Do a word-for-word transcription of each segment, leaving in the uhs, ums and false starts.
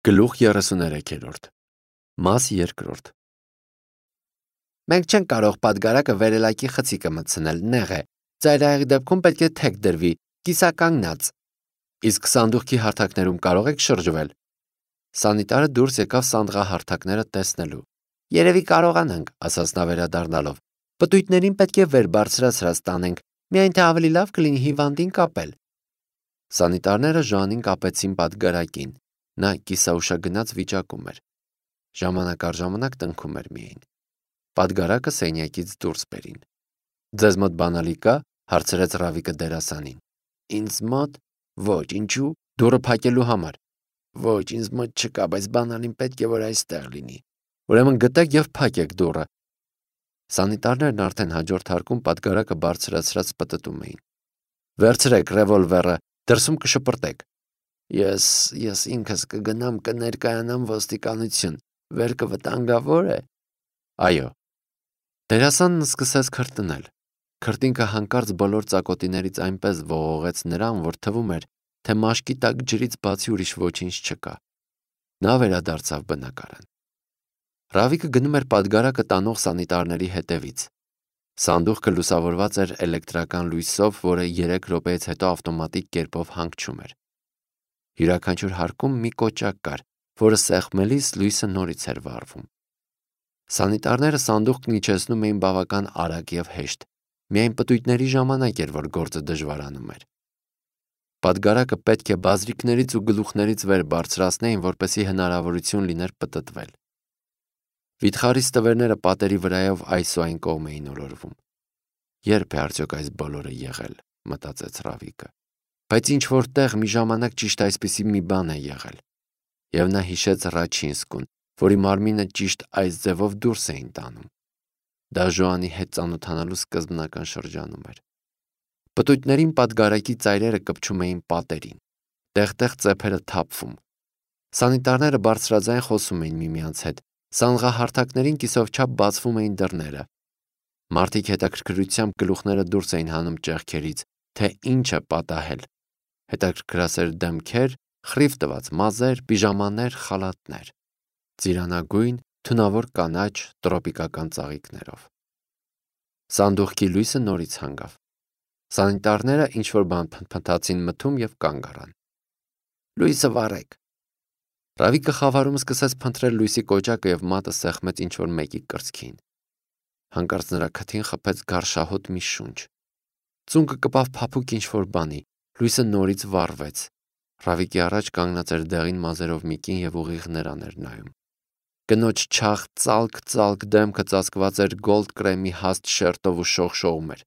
Գլուխ երեսուներեքերորդ Մաս երկրորդ Մենք չենք կարող պատգարակը վերելակի խցիկը մտցնել, նեղ է, ծայրահեղի դեպքում պետք է թեք դրվի, կիսականգնած, իսկ սանդուղքի հարթակներում կարող եք շրջվել։ Սանիտարը դուրս եկավ սանդղահարթակները տեսնելու։ Երևի կարողանանք, ասաց նա վերադառնալով, պտույտներին պետք է վեր բարձրացրած տանենք, միայն թե ավելի լավ կլինի հիվանդին կապել։ Սանիտարները Ժոանին կապեցին պատգարակին, նա կիսաուշագնաց վիճակում էր, ժամանակ առ ժամանակ տնքում էր միայն։ Պատգարակը սենյակից դուրս բերին։ Ձեզ մոտ բանալի կա, հարցրեց Ռավիկը դերասանին։ Ինձ մոտ ոչ, ինչու, դուռը փակելու համար։ Ոչ, ինձ մոտ չկա, բայց բանալին պետք է որ այստեղ լինի։ Ուրեմն գտեք եւ փակեք դուռը։ Սանիտարներն արդեն հաջորդ հարկում պատգարակը բարձրացրած պտտում էին։ Վերցրեք ռևոլվերը, դրսում կշպրտեք։ Ես, ես ինքս կգնամ կներկայանամ ոստիկանություն, վերքը վտանգավոր է։ Այո։ Դերասանն սկսեց քրտնել։ Քրտինքը հանկարծ բոլոր ծակոտիներից այնպես ողողեց նրան, որ թվում էր, թե մաշկի տակ ջրից բացի ուրիշ ոչինչ չկա։ Նա վերադարձավ բնակարան։ Ռավիկը գնում էր պատգարակը տանող սանիտարների հետևից։ Սանդուղքը լուսավորված էր էլեկտրական լույսով, որը երեք րոպեից հետո ավտոմատիկ կերպով հանգչում էր։ Յուրաքանչյուր հարկում մի կոճակ կար, որը սեղմելիս լույսը նորից էր վառվում։ Սանիտարները սանդուղքն իջեցնում էին բավական արագ եւ հեշտ, միայն պտույտների ժամանակ էր, որ գործը դժվարանում էր։ Պատգարակը պետք է բազրիկներից ու գլուխներից վեր բարձրացնեին, որպեսզի հնարավորություն լիներ պտտվել։ Վիթխարի ստվերները պատերի վրայով այս ու այն կողմ էին օրորվում։ Երբ է արդյոք այս բոլորը եղել, մտածեց Ռավիկը, բայց ինչ որտեղ մի ժամանակ ճիշտ այսպիսի մի բան է եղել։ Եվ նա հիշեց Ռաչինսկուն, որի մարմինը ճիշտ այս ձևով դուրս էին տանում։ Դա Ժոանի հետ ծանոթանալու սկզբնական շրջանում էր։ Պտույտներին պատգարակի ծայրերը կպչում էին պատերին, տեղ-տեղ ծեփերը թափվում։ Սանիտարները բարձրաձայն խոսում էին միմյանց հետ, սանդղահարթակներին կիսովչափ բացվում էին դռները։ Մարդիկ հետաքրքրությամբ գլուխները դուրս էին հանում ճեղքերից, թե ինչ է պատահել։ Հետաքրքրասեր դեմքեր, խռիվ տված մազեր, պիժամաներ, խալաթներ, ծիրանագույն, թունավոր կանաչ, տրոպիկական ծաղիկներով։ Սանդուղքի լույսը նորից հանգավ։ Սանիտարները ինչ-որ բան փնթփնթացին մթում եւ կանգ առան։ Լույսը վառեք։ Ռավիկը խավարում սկսեց փնտրել լույսի կոճակը եւ մատը սեղմեց ինչ-որ մեկի կրծքին։ Հանկարծ նրա քթին խփեց գարշահոտ մի շունչ։ Ծունկը կպավ փափուկ ինչ-որ բանի, լույսը նորից վառվեց։ Ռավիկի առաջ կանգնած էր դեղին մազերով մի կին եւ ուղիղ նրան էր նայում։ Կնոջ չաղ ծալկ-ծալկ դեմքը ծածկված էր գոլդ կրեմի հաստ շերտով ու շողշողում էր։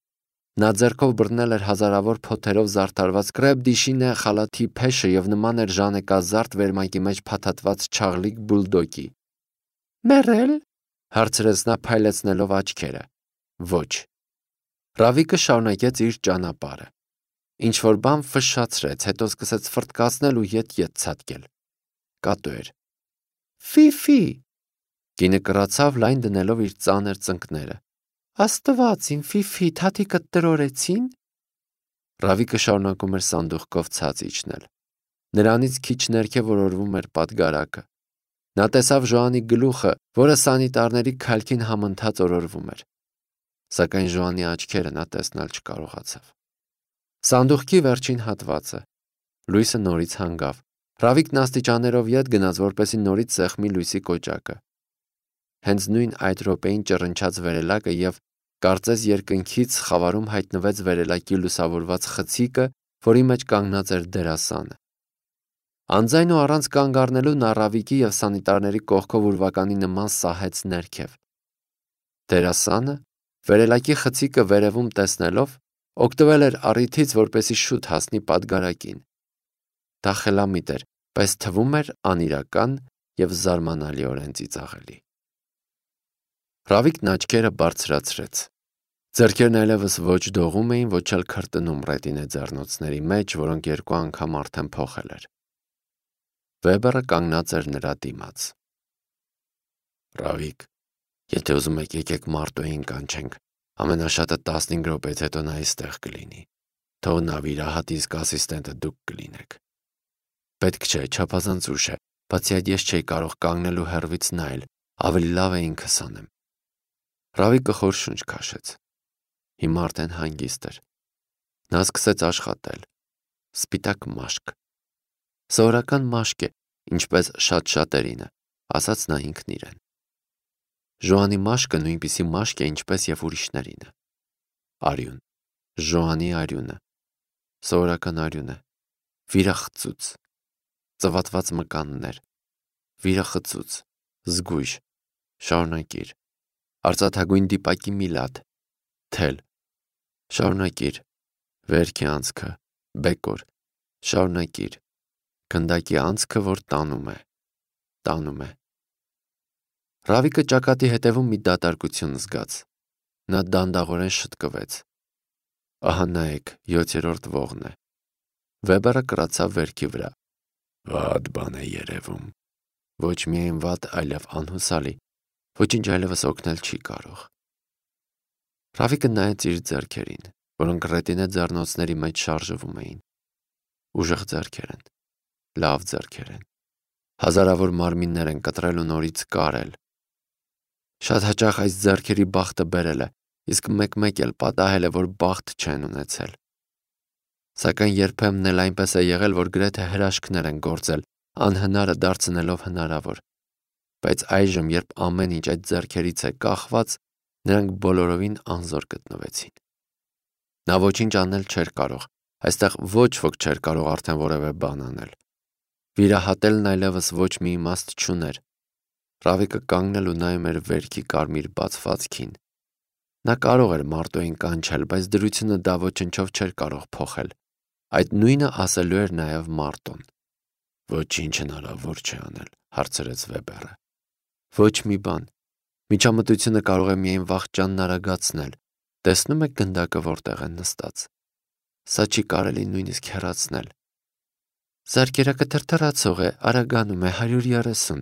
Նա ձեռքով բռնել էր հազարավոր փոթերով զարդարված կրեպ-դիշինե խալաթի փեշը եւ նման էր ժանեկազարդ վերմակի մեջ փաթաթված չաղլիկ բուլդոգի։ Մեռել, հարցրեց նա փայլեցնելով աչքերը։ Ոչ։ Ռավիկը շարունակեց իր ճանապարհը։ Ինչ որ բան ֆշշացրեց, հետո սկսեց ֆրտկացնել ու ետ-ետ ցատկել։ Կատու էր։ Ֆի-ֆի։ Կինը կռացավ լայն դնելով իր ծանր ծնկները։ Աստված իմ Ֆի-ֆի, թաթիկը տրորեցին։ Ռավիկը շարունակում էր սանդուղքով ցած իջնել։ Նրանից քիչ ներքև օրորվում էր պատգարակը։ Նա տեսավ Ժոանի գլուխը, որը սանիտարների քալքին համընթաց օրորվում էր։ Սակայն Ժոանի աչքերը նա տեսնել չկարողացավ։ Սանդուղքի վերջին հատվածը։ Լույսը նորից հանգավ։ Ռավիկն աստիճաններով ետ գնաց, որպեսզի նորից սեղմի լույսի կոճակը։ Հենց նույն այդ րոպեին ճռնչաց վերելակը եւ կարծես երկնքից խավարում հայտնվեց վերելակի լուսավորված խցիկը, որի մեջ կանգնած էր դերասանը։ Անձայն ու առանց կանգ առնելու նա Ռավիկի եւ սանիտարների կողքով ուրվականի նման սահեց ներքև։ Դերասանը, վերելակի խցիկը վերևում տեսնելով, օգտվել էր առիթից, որպեսզի շուտ հասնի պատգարակին։ Դա խելամիտ էր, բայց թվում էր անիրական եւ զարմանալիորեն ծիծաղելի։ Ռավիկն աչքերը բարձրացրեց։ Ձեռքերն այլևս ոչ դողում էին, ոչ էլ քրտնում ռետինե ձեռնոցների մեջ, որոնք երկու անգամ արդեն փոխել էր։ Վեբերը կանգնած էր նրա դիմաց։ Ռավիկ, եթե ուզում եք եկեք Մարտոյին կանչենք, ամենաշատը տասնհինգ րոպեից հետո նա այստեղ կլինի։ Թող նա վիրահատի իսկ ասիստենտը դուք կլինեք։ Պետք չէ, չափազանց ուշ է, Բացի այդ ես չէի կարող կանգնել ու հեռվից նայել, ավելի լավ է ինքս անեմ։ Ռավիկը խոր շունչ քաշեց։ Հիմա արդեն հանգիստ էր։ Նա սկսեց աշխատել։ Սպիտակ մաշկ։ Սովորական մաշկ է, ինչպես շատ շատերինը, ասաց նա ինքն իրեն։ Ժոանի մաշկը նույնպիսի մաշկ է, ինչպես և ուրիշներինը։ Արյուն։ Ժոանի արյունը։ Սովորական արյուն է։ Վիրախծուց։ Ծվատված մկաններ։ Վիրախծուց։ Զգույշ։ Շարունակիր։ Արծաթագույն դիպակի միլատ։ Թել։ Շարունակիր։ Վերքի անցքը։ Բեկոր։ Շարունակիր։ Գնդակի անցքը, որ տանում է։ Տանում է։ Ռավիկը ճակատի հետևում մի դատարկություն զգաց։ Նա դանդաղորեն շտկվեց։ Ահա նայեք, յոթերորդ ողն է։ Վեբերը կրացավ վերքի վրա։ Վատ բան է երևում։ Ոչ միայն վատ, այլև անհուսալի։ Ոչինչ այլևս օգնել չի կարող։ Ռավիկը նայեց իր ձեռքերին, որոնք ռետինե ձեռնոցների մեջ շարժվում էին։ Ուժեղ ձեռքեր են։ Լավ ձեռքեր են։ Հազարավոր մարմիններ են կտրել ու նորից կարել։ Շատ հաճախ այս ձեռքերի բախտը բերել է, իսկ մեկ-մեկ էլ պատահել է, որ բախտ չեն ունեցել։ Սակայն երբեմն էլ այնպես է եղել, որ գրեթե հրաշքներ են գործել, անհնարը դարձնելով հնարավոր։ Բայց այժմ, երբ ամեն ինչ այդ ձեռքերից է կախված, նրանք բոլորովին անզոր գտնվեցին։ Նա ոչինչ անել չէր կարող, այստեղ ոչ ոք չէր կարող արդեն որևէ բան անել։ Վիրահատելն այլևս ոչ մի իմաստ չուներ։ Ռավիկը կանգնել ու նայում էր վերքի կարմիր բացվածքին։ Նա կարող էր մարտոյին կանչել, բայց դրությունը դա ոչնչով չէր կարող փոխել։ Այդ նույնը ասելու էր նաև Մարտոն։ Ոչինչ հնարավոր չէ անել, հարցրեց Վեբերը։ Ոչ մի բան։ Միջամտությունը կարող է միայն վախճանն արագացնել։ Տեսնում եք գնդակը որտեղ է նստած։ Սա չի կարելի նույնիսկ հեռացնել։ Զարկերակը թրթռացող է, արագանում է հարյուր երեսուն,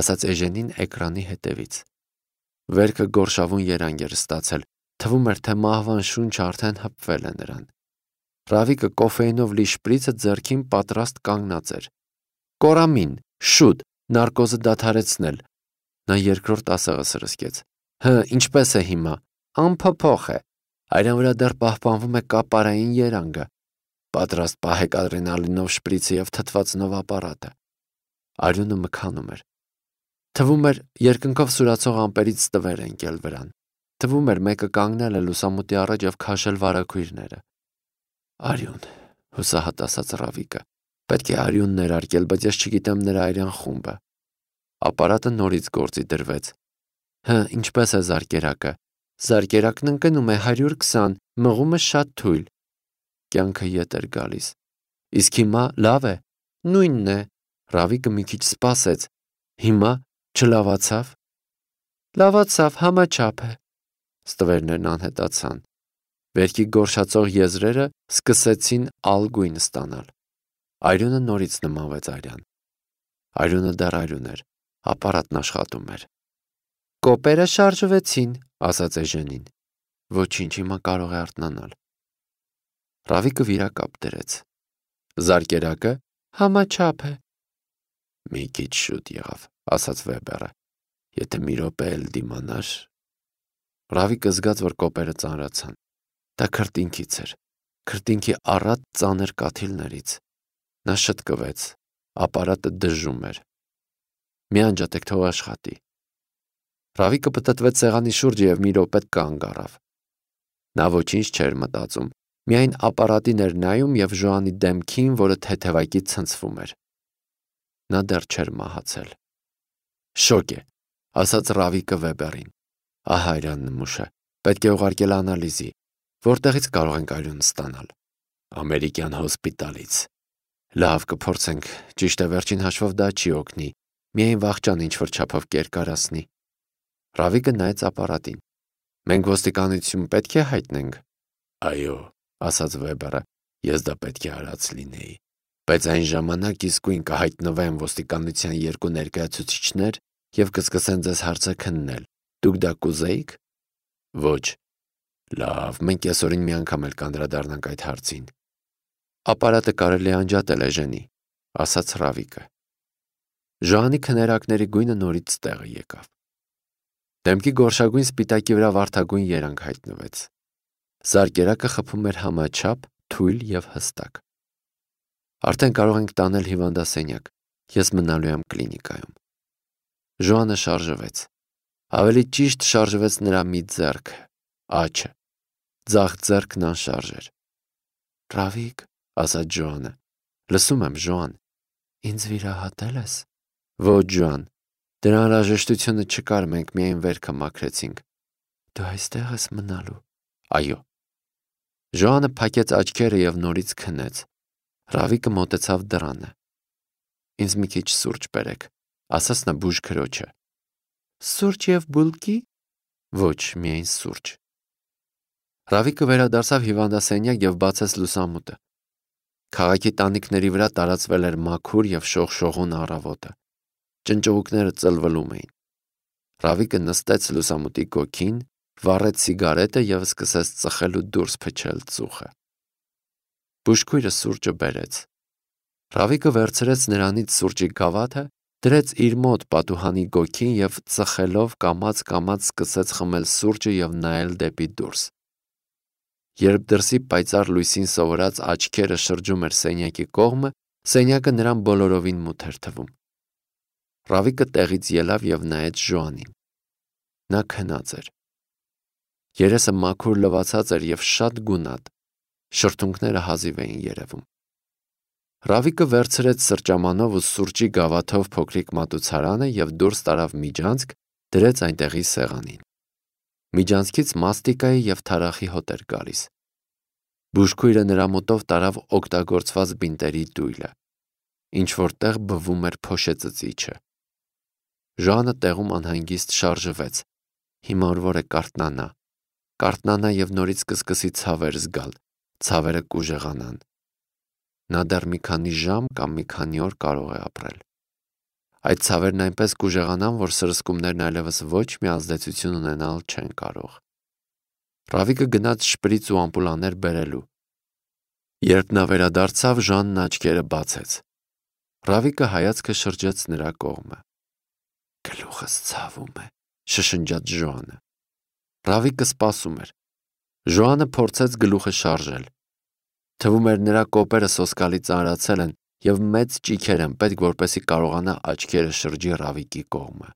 ասաց Էժենին էկրանի հետևից։ Վերքը գորշավուն երանգ էր ստացել, թվում էր, թե մահվան շունչը արդեն հպվել է նրան։ Ռավիկը կոֆեինով լի շպրիցը ձեռքին պատրաստ կանգնած էր։ Կորամին, շուտ, նարկոզը դադարեցնել։ Նա երկրորդ ասեղը սրսկեց։ Հը, ինչպես է հիմա։ Անփոփոխ է։ Այրան վրա դեռ պահպանվում է կապարային երանգը։ Պատրաստ պահեք ադրենալինով շպրիցը և թթվածնով ապարատը։ Արյունը մքանում էր։ Թվում էր, երկնքով սուրացող ամպերից տվեր ընկել վրան։ Թվում էր, մեկը կանգնել է լուսամուտի առաջ և քաշել վարագույրները։ Արյուն, հուսահատ ասաց Ռավիկը։ Պետք է արյուն ներարկել, բայց ես չգիտեմ նրա արյան խումբը։ Ապարատը նորից գործի դրվեց։ Հը, ինչպես է զարկերակը։ Զարկերակն ընկնում է հարյուր քսան, մղումը շատ թույլ։ Կյանքը ետ էր գալիս։ Իսկ հիմա լավ է։ Նույնն է։ Ռավիկը մի քիչ սպասեց։ Հիմա չլավացավ։ Լավացավ, համաչափ է։ Ստվերներն անհետացան։ Վերքի գորշացող եզրերը սկսեցին ալգույն ստանալ։ Արյունը նորից նմանվեց արյան։ Արյունը դեռ արյուն էր, ապարատն աշխատում էր։ Կոպերը շարժվեցին, ասաց Էժենին։ Ոչինչ, հիմա կարող է արթնանալ։ Ռավիկը վիրակապ դրեց։ Զարկերակը համաչափ է։ Մի քիչ շուտ եղավ, ասաց Վեբերը։ Եթե մի րոպե էլ դիմանար։ Ռավիկը զգաց, որ կոպերը ծանրացան։ Դա քրտինքից էր, քրտինքի առատ ծանր կաթիլներից։ Նա շտկվեց, ապարատը դժում էր։ Մի անջատեք, թող աշխատի։ Ռավիկը պտտվեց սեղանի շուրջը և մի րոպե կանգ առավ։ Նա ոչինչ չէր մտածում, միայն ապարատին էր նայում և Ժոանի դեմքին, որը թեթևակի ցնցվում էր։ Նա դեռ չէր մահացել։ Շոկ է, ասաց Ռավիկը Վեբերին։ Ահա արյան նմուշը, պետք է ուղարկել անալիզի։ Որտեղից կարող ենք արյուն ստանալ։ Ամերիկյան հոսպիտալից։ Լավ, կփորձենք, ճիշտ է, վերջին հաշվով դա չի օգնի, միայն վախճան ինչ-որ չափով կերկարացնի։ Ռավիկը նայեց ապարատին։ Մենք ոստիկանություն պետք է հայտնենք։ Այո, ասաց Վեբերը, ես դա պետք է արած լինեի։ Բայց այն ժամանակ իսկույն կհայտնվեն ոստիկանության երկու ներկայացուցիչներ և կսկսեն ձեզ հարցը քննել։ Դուք դա կուզեիք։ Ոչ։ Լավ, մենք կեսօրին մի անգամ էլ կանդրադառնանք այդ հարցին։ Ապարատը կարելի է անջատել, Էժենի, ասաց Ռավիկը։ Ժոանի քներակների գույնը նորից տեղը եկավ։ Դեմքի գորշագույն սպիտակի վրա վարդագույն երանգ հայտնվեց։ Զարկերակը խփում էր համաչափ, թույլ եւ հստակ։ Արդեն կարող ենք տանել հիվանդասենյակ, ես մնալու եմ կլինիկայում։ Ժոանը շարժվեց։ Ավելի ճիշտ շարժվեց նրա մի ձեռքը, աչը, ձախ ձեռքն անշարժ էր։ Ռավիկ, ասաց Ժոանը, լսում եմ, Ժոան, ինձ վիրահատել ես։ Ոչ, Ժոան, դրա անհրաժեշտությունը չկար, մենք միայն վերքը մաքրեցինք։ Դու այստեղ ես մնալու։ Այո։ Ժոանը փակեց աչքերը եւ նորից քնեց։ Ռավիկը մոտեցավ դռանը։ Ինձ մի քիչ սուրճ բերեք, ասաց նա բուժ քրոջը։ Սուրճ եւ բուլկի։ Ոչ, միայն սուրճ։ Ռավիկը վերադարձավ հիվանդասենյակ եւ բացեց լուսամուտը։ Քաղաքի տանիքների վրա տարածվել էր մաքուր եւ շողշողուն առավոտը։ Ճնճողուկները ծլվլում էին։ Ռավիկը նստեց լուսամուտի գոգին, վառեց սիգարետը եւ սկսեց ծխել ու դուրս փչել ծուխը։ Բուժքույրը սուրճը բերեց։ Ռավիկը վերցրեց նրանից սուրճի գավաթը, դրեց իր մոտ պատուհանի գոգին եւ ծխելով կամաց-կամաց սկսեց խմել սուրճը եւ նայել դեպի դուրս։ Երբ դրսի պայծառ լույսին սովորած աչքերը շրջում էր սենյակի կողմը, սենյակը նրան բոլորովին մութ էր թվում։ Ռավիկը տեղից ելավ եւ նայեց Ժոանին։ Նա քնած էր։ Երեսը մաքուր լվացած էր եւ շատ գունատ։ Շրթունքները հազիվ էին երևում։ Ռավիկը վերցրեց սրճամանով ու սուրճի գավաթով փոքրիկ մատուցարանը եւ դուրս տարավ միջանցք, դրեց այնտեղի սեղանին։ Միջանցքից մաստիկայի եւ թարախի հոտ էր գալիս։ Բուժքույրը նրա մոտով տարավ օգտագործված բինտերի դույլը։ Ինչ որտեղ բվում էր փոշեծծիչը։ Ժոանը տեղում անհանգիստ շարժվեց։ Հիմա որ է կարթնանա։ Կարթնանա եւ նորից կսկսի ցավեր զգալ, ցավերը կուժեղանան։ Նա դեռ մի քանի ժամ կամ մի քանի օր կարող է ապրել։ Այդ ցավերն այնպես կուժեղանան, որ սրսկումներն այլևս ոչ մի ազդեցություն ունենալ չեն կարող։ Ռավիկը գնաց շպրիծ ու ամպուլաներ բերելու։ Երբ նա վերադարձավ, Ժանն աչքերը բացեց։ Ռավիկը հայացքը շրջեց նրա կողմը։ Գլուխս ցավում է, շշնջաց Ժոանը։ Ռավիկը սպասում էր։ Ժոանը փորձեց գլուխը շարժել։ Թվում էր նրա կոպերը սոսկալի ծանրացել են եւ մեծ ճիքեր են պետք, որպեսզի կարողանա աչքերը շրջի Ռավիկի կողմը։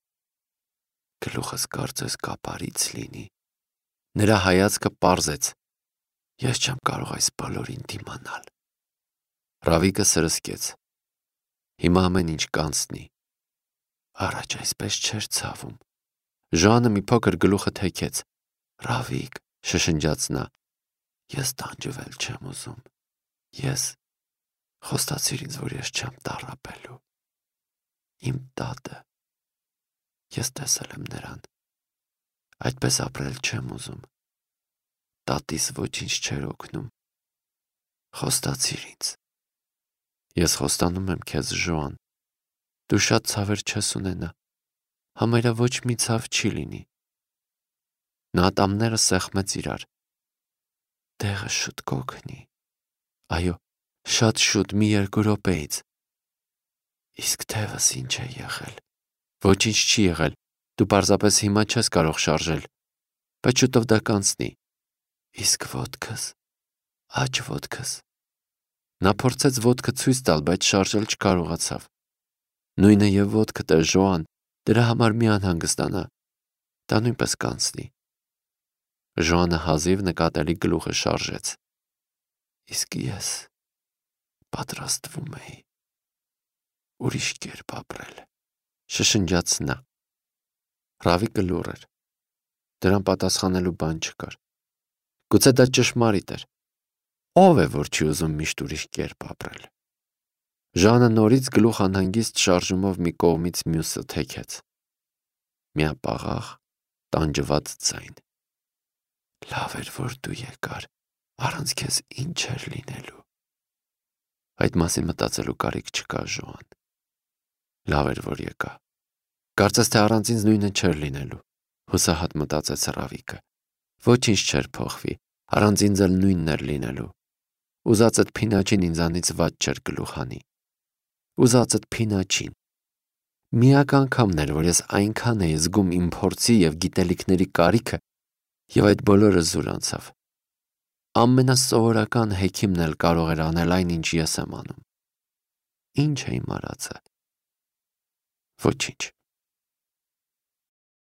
Գլուխս կարծես կապարից լինի։ Նրա հայացքը պարզեց։ Ես չեմ կարող այս բոլորին դիմանալ։ Ռավիկը սրսկեց։ Հիմա ամեն ինչ կանցնի։ Առաջ այսպես չէր ցավում։ Ժոանը մի փոքր գլուխը թեքեց։ Ռավիկ, շշնջաց նա, ես տանջվել չեմ ուզում։ Ես խոստացիր ինձ, որ ես չեմ տառապելու։ Իմ տատը։ Ես տեսել եմ նրան։ Այդպես ապրել չեմ ուզում։ Տատիս ոչինչ չէր օգնում։ Խոստացիր ինձ։ Ես խոստանում եմ քեզ, Ժոան։ Դու շատ ցավեր չես ունենա։ Համարյա ոչ մի ցավ չի լինի։ Նա ատամները սեղմեց իրար։ Տեղը շուտ կօգնի։ Այո, շատ շուտ, մի երկու րոպեից։ Իսկ թևս ինչ է եղել։ Ոչինչ չի եղել։ Դու պարզապես հիմա չես կարող շարժել։ Բայց շուտով դա կանցնի։ Իսկ ոտքս, աջ ոտքս։ Նա փորձեց ոտքը ցույց տալ, բայց շարժել չկարողացավ։ Նույնը եւ ոտքդ է, Ժոան, դրա համար մի անհանգստանա։ Դա նույնպես կանցնի։ Ժոանը հազիվ նկատելի գլուխը շարժեց։ Իսկ ես պատրաստվում էի ուրիշ կերպ ապրել, շշնջաց նա։ Ռավիկը լուռ էր։ Դրան պատասխանելու բան չկար։ Գուցե դա ճշմարիտ էր։ Ով է, որ չի ուզում միշտ ուրիշ կերպ ապրել։ Ժանը նորից գլուխ անհանգիստ շարժումով մի կողմից մյուսը թեքեց։ Միապաղաղ, տանջված ձայն։ Լավ էր, որ դու եկար, առանց քեզ ինչ էր լինելու։ Այդ մասին մտածելու կարիք չկա, Ժոան։ Լավ էր, որ եկա։ Կարծես թե առանց ինձ նույնը չէր լինելու, հուսահատ մտածեց Ռավիկը։ Ոչինչ չէր փոխվի, առանց ինձ էլ նույնն էր լինելու։ Ուզածդ փինաչին ինձանից ված չէր գլուխ հանի։ Ուզածդ փինաչին։ Միակ անգամն էր, որ ես այնքան էի զգում իմ փորձի և գիտելիքների կարիքը, և այդ բոլորը զուր անցավ։ Ամենասովորական հեքիմն էլ կարող էր անել այն, ինչ ես եմ անում։ Ինչ է իմ արածը։ Ոչինչ։